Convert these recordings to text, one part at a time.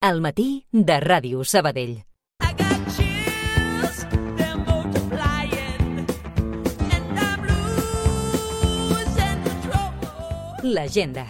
Al matí de Ràdio Sabadell. L'agenda.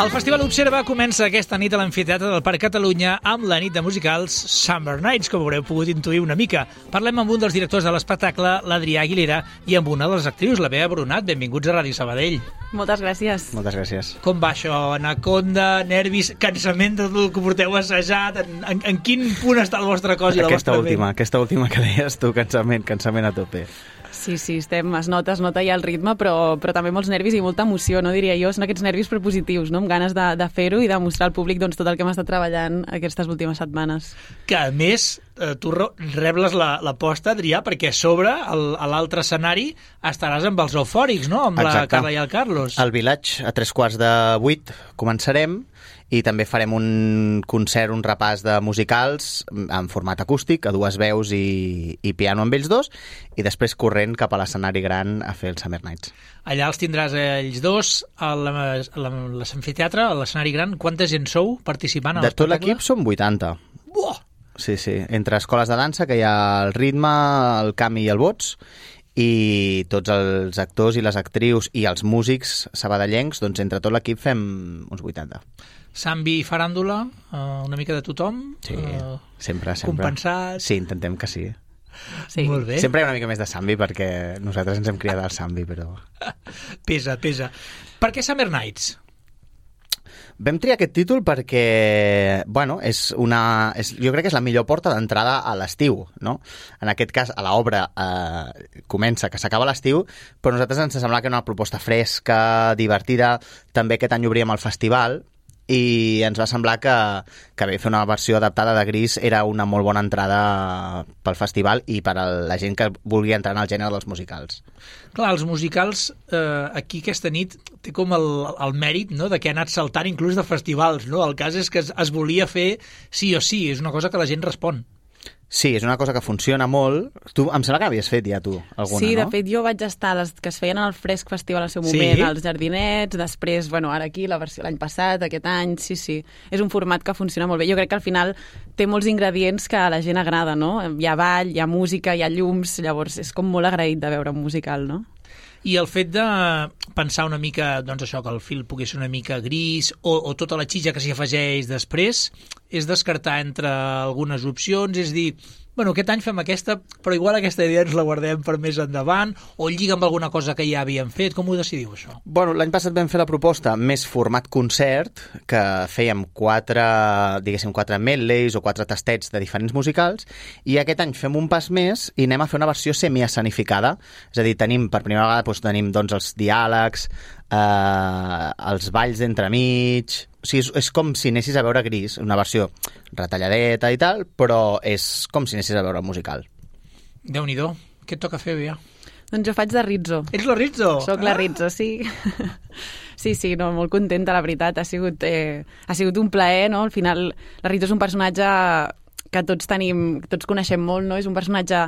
El Festival Observa comença aquesta nit a l'Amfiteatre del Parc Catalunya amb la nit de musicals Summer Nights, com haureu pogut intuir una mica. Parlem amb un dels directors de l'espectacle, l'Adrià Aguilera, i amb una de les actrius, la Bea Brunat. Benvinguts a Ràdio Sabadell. Moltes gràcies. Moltes gràcies. Com va això? Anaconda, nervis, cansament de tot el que porteu assajat? En quin punt està el vostre cos i la vostra ment? Aquesta última que deies tu, cansament a tope. Sí, es nota ja el ritme, però també molts nervis i molta emoció, no diria jo. Són aquests nervis propositius, no? Amb ganes de fer-ho i de mostrar al públic tot el que hem estat treballant aquestes últimes setmanes. Que, a més, tu rebles l'aposta, Adrià, perquè a sobre, a l'altre escenari, estaràs amb els eufòrics, no? Amb Exacte. La Carla i el Carlos. Al Village, a 7:45, començarem, i també farem un concert, un repàs de musicals en format acústic, a dues veus i piano amb ells dos, i després corrent cap a l'escenari gran a fer el Summer Nights. Allà els tindràs ells dos, a l'amfiteatre, a l'escenari gran. Quanta gent sou participant a De tot l'espectacle? l'equip som 80. Buah! Sí, entre escoles de dansa, que hi ha el ritme, el Cami i el Bots, i tots els actors i les actrius i els músics sabadellencs, doncs entre tot l'equip fem uns 80. Sambi i faràndula, una mica de tothom? Sí, sempre. Compensat? Sí, intentem que sí. Sí. Molt bé. Sempre hi ha una mica més de Sambi, perquè nosaltres ens hem criat al Sambi, però... Pesa. Per què Summer Nights? Vam triar aquest títol perquè, bueno, jo crec que és la millor porta d'entrada a l'estiu, no? En aquest cas, a l'obra comença, que s'acaba l'estiu, però a nosaltres ens semblava que era una proposta fresca, divertida. També aquest any obríem el festival, i ens va semblar que bé, fer una versió adaptada de Gris era una molt bona entrada pel festival i per a la gent que vulgui entrar en el gènere dels musicals. Clar, els musicals aquí aquesta nit té com el mèrit, no?, de que ha anat saltant inclús de festivals, no? El cas és que es volia fer sí o sí, és una cosa que la gent respon. Sí, és una cosa que funciona molt. Tu, em sembla que havies fet ja tu alguna, sí, no? de fet jo vaig estar a les que es feien en el Fresc Festival al seu moment, Sí? als Jardinets, després, ara aquí, la versió l'any passat, aquest any, sí. És un format que funciona molt bé. Jo crec que al final té molts ingredients que a la gent agrada, no? Hi ha ball, hi ha música, hi ha llums, llavors és com molt agraït de veure un musical, no? I el fet de pensar una mica, doncs això, que el film pugui ser una mica gris o tota la xitxa que s'hi afegeix després, és descartar entre algunes opcions, és dir, bueno, aquest any fem aquesta, però igual aquesta idea ens la guardem per més endavant, o lliga amb alguna cosa que ja havíem fet. Com ho decidiu, això? Bueno, l'any passat vam fer la proposta més format concert, que fèiem 4 medleys o 4 tastets de diferents musicals, i aquest any fem un pas més i anem a fer una versió semi-escenificada. És a dir, per primera vegada tenim els diàlegs, els balls d'entremig. O sigui, és com si anessis a veure Gris, una versió retalladeta i tal, però és com si anessis a veure el musical. Déu-n'hi-do. Què et toca fer, Bea? Doncs jo faig de Rizzo. Ets la Rizzo? Soc la Rizzo, sí. Sí, no, molt contenta, la veritat. Ha sigut un plaer, no? Al final, la Rizzo és un personatge que tots coneixem molt, no? És un personatge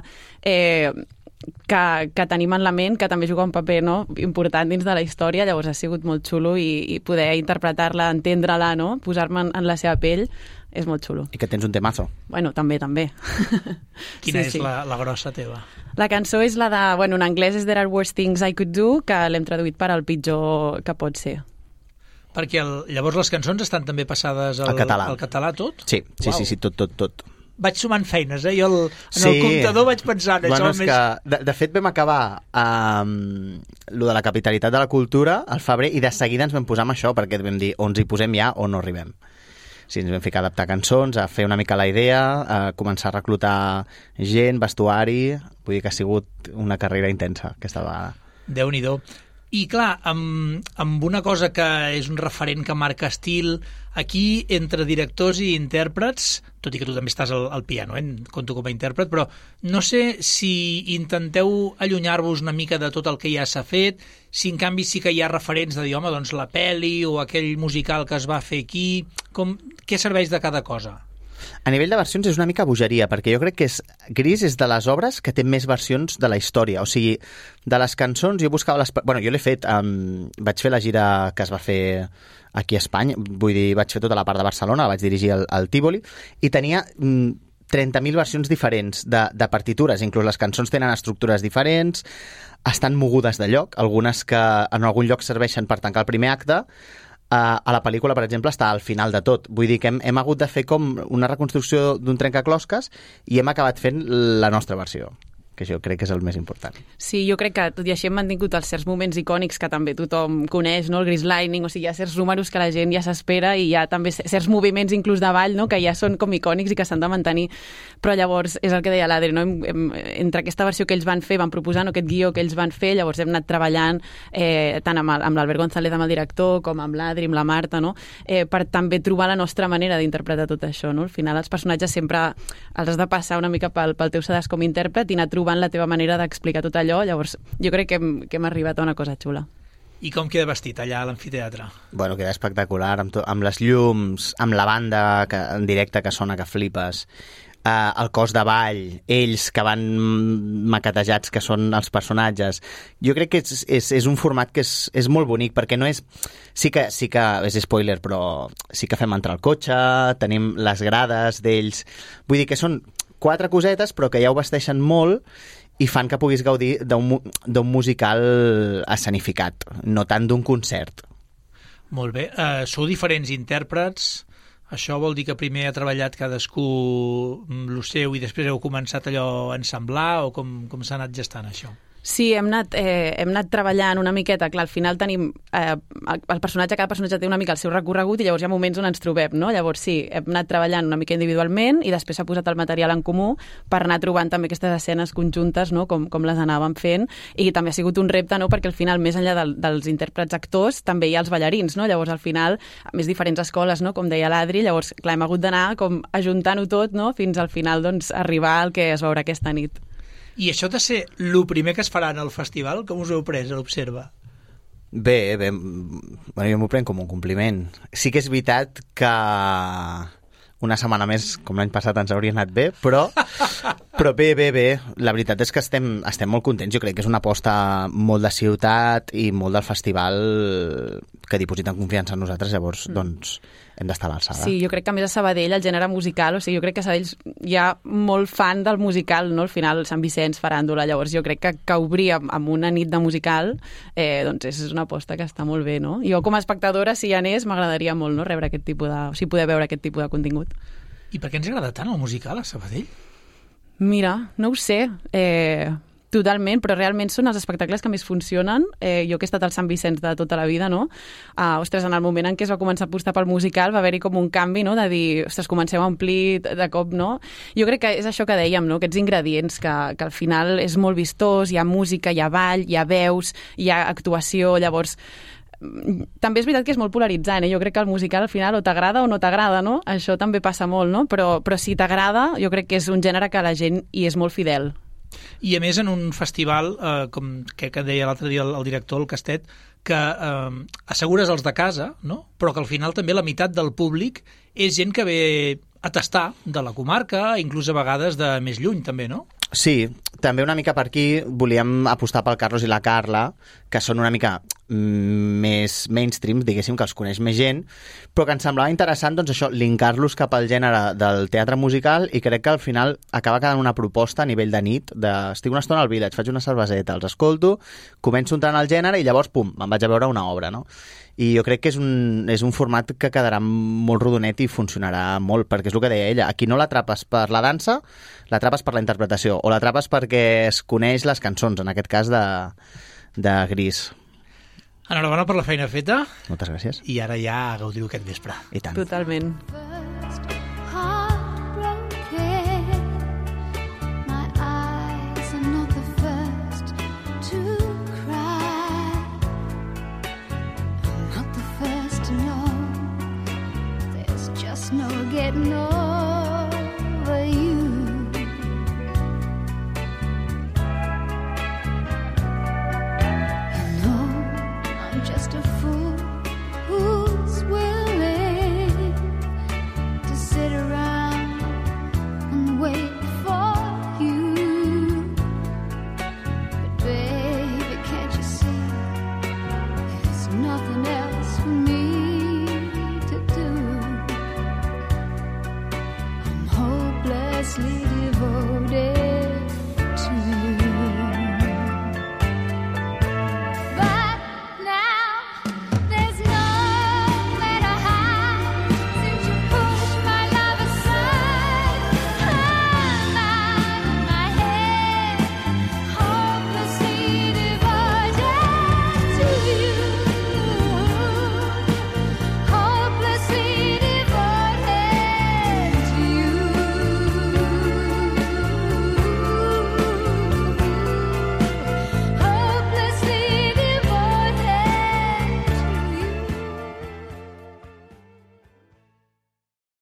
que tenim en la ment, que també juga un paper, no?, important dins de la història, llavors ha sigut molt xulo i poder interpretar-la, entendre-la, no?, posar-me en la seva pell, és molt xulo. I que tens un temazo. Bueno, també. Quina és la grossa teva? La cançó és la de... Bueno, en anglès és There Are Worse Things I Could Do, que l'hem traduït per el pitjor que pot ser. Perquè llavors les cançons estan també passades al català tot? Sí, tot. Vaig sumant feines, Jo el comptador vaig pensar en bueno, això. De fet vam acabar lo de la capitalitat de la cultura al febrer i de seguida ens vam posar amb això perquè vam dir o ens hi posem ja o no arribem. Sí, ens vam ficar a adaptar cançons, a fer una mica la idea, a començar a reclutar gent, vestuari. Vull dir que ha sigut una carrera intensa aquesta vegada. Déu-n'hi-do. I clar, amb una cosa que és un referent que marca estil, aquí entre directors i intèrprets, tot i que tu també estàs al piano, compto com a intèrpret, però no sé si intenteu allunyar-vos una mica de tot el que ja s'ha fet, si en canvi sí que hi ha referents de dir, home, doncs la pel·li o aquell musical que es va fer aquí, què serveix de cada cosa? A nivell de versions és una mica bogeria, perquè jo crec que Gris és de les obres que té més versions de la història. O sigui, de les cançons jo buscava les... Bueno, jo l'he fet, vaig fer la gira que es va fer aquí a Espanya, vull dir, vaig fer tota la part de Barcelona, la vaig dirigir al Tívoli, i tenia 30.000 versions diferents de partitures, inclús les cançons tenen estructures diferents, estan mogudes de lloc, algunes que en algun lloc serveixen per tancar el primer acte. A la pel·lícula, per exemple, està al final de tot. Vull dir que hem hagut de fer com una reconstrucció d'un trencaclosques i hem acabat fent la nostra versió, que jo crec que és el més important. Sí, jo crec que tot i així hem mantingut els certs moments icònics que també tothom coneix, no? El Grease Lightning, o sigui, hi ha certs números que la gent ja s'espera i hi ha també certs moviments inclús de ball, no? Que ja són com icònics i que s'han de mantenir. Però llavors, és el que deia l'Adri, no? Entre aquesta versió que ells van fer, van proposar, no? Aquest guió que ells van fer, llavors hem anat treballant tant amb l'Albert González, amb el director, com amb l'Adri, amb la Marta, no? Per també trobar la nostra manera d'interpretar tot això, no? Al final els personatges sempre els has de passar una mica pel teu sedàs com a intèrpret i anar trobant la teva manera d'explicar tot allò, llavors jo crec que hem arribat a una cosa xula. I com queda vestit allà a l'amfiteatre? Bueno, queda espectacular, amb les llums, amb la banda en directe que sona que flipes, el cos de ball, ells que van maquetejats, que són els personatges. Jo crec que és un format que és molt bonic, perquè no és... Sí que és spoiler, però sí que fem entrar el cotxe, tenim les grades d'ells... Vull dir que són 4 cosetes, però que ja ho vesteixen molt i fan que puguis gaudir d'un musical escenificat, no tant d'un concert. Molt bé. Sou diferents intèrprets. Això vol dir que primer ha treballat cadascú lo seu i després heu començat allò a ensamblar, o com s'ha anat gestant això? Sí, hem anat treballant una miqueta. Clar, al final tenim... cada personatge té una mica el seu recorregut i llavors hi ha moments on ens trobem, no? Llavors sí, hem anat treballant una mica individualment i després s'ha posat el material en comú per anar trobant també aquestes escenes conjuntes, no? Com les anàvem fent, i també ha sigut un repte, no? Perquè al final, més enllà dels intèrprets actors, també hi ha els ballarins, no? Llavors al final, a més diferents escoles, no? Com deia l'Adri, llavors clar, hem hagut d'anar com ajuntant-ho tot, no? Fins al final doncs arribar al que es veurà aquesta nit. I això de ser el primer que es farà en el festival, com us heu pres a l'Observa? Bé, bueno, jo m'ho prenc com un compliment. Sí que és veritat que una setmana més, com l'any passat, ens hauria anat bé, però bé. La veritat és que estem molt contents. Jo crec que és una aposta molt de ciutat i molt del festival que dipositen confiança en nosaltres, llavors, doncs, hem d'estar a l'alçada. Sí, jo crec que a més a Sabadell el gènere musical, o sigui, jo crec que a Sabadell hi ha molt fan del musical, no? Al final, Sant Vicenç, faràndula, llavors jo crec que obrir amb una nit de musical, doncs és una aposta que està molt bé, no? Jo com a espectadora, si hi anés, m'agradaria molt, no? Rebre aquest tipus de... O sigui, poder veure aquest tipus de contingut. I per què ens agrada tant el musical a Sabadell? Mira, no ho sé. Totalment, però realment són els espectacles que més funcionen. Jo que he estat al Sant Vicenç de tota la vida, no? Ostres, en el moment en què es va començar a apostar pel musical va haver-hi com un canvi, no? De dir, ostres, comencem a omplir de cop, no? Jo crec que és això que dèiem, no? Aquests ingredients que al final és molt vistós, hi ha música, hi ha ball, hi ha veus, hi ha actuació, llavors... També és veritat que és molt polaritzant, Jo crec que el musical al final o t'agrada o no t'agrada, no? Això també passa molt, no? Però si t'agrada, jo crec que és un gènere que la gent hi és molt fidel. I a més en un festival, com que deia l'altre dia el director, el Castet, que assegures els de casa, no? Però que al final també la meitat del públic és gent que ve a tastar de la comarca, inclús a vegades de més lluny també, no? Sí, també una mica per aquí volíem apostar pel Carlos i la Carla, que són una mica més mainstream, diguéssim, que els coneix més gent, però que ens semblava interessant, doncs això, linkar-los cap al gènere del teatre musical, i crec que al final acaba quedant una proposta a nivell de nit, estic una estona al Village, faig una cerveseta, els escolto, començo entrant al gènere i llavors, pum, me'n vaig a veure una obra, no? I jo crec que és un format que quedarà molt rodonet i funcionarà molt, perquè és el que deia ella, aquí no l'atrapes per la dansa, l'atrapes per la interpretació, o l'atrapes perquè es coneix les cançons, en aquest cas de Gris. Enhorabona per la feina feta. Moltes gràcies. I ara ja gaudiu aquest vespre. I tant. Totalment. No getting over.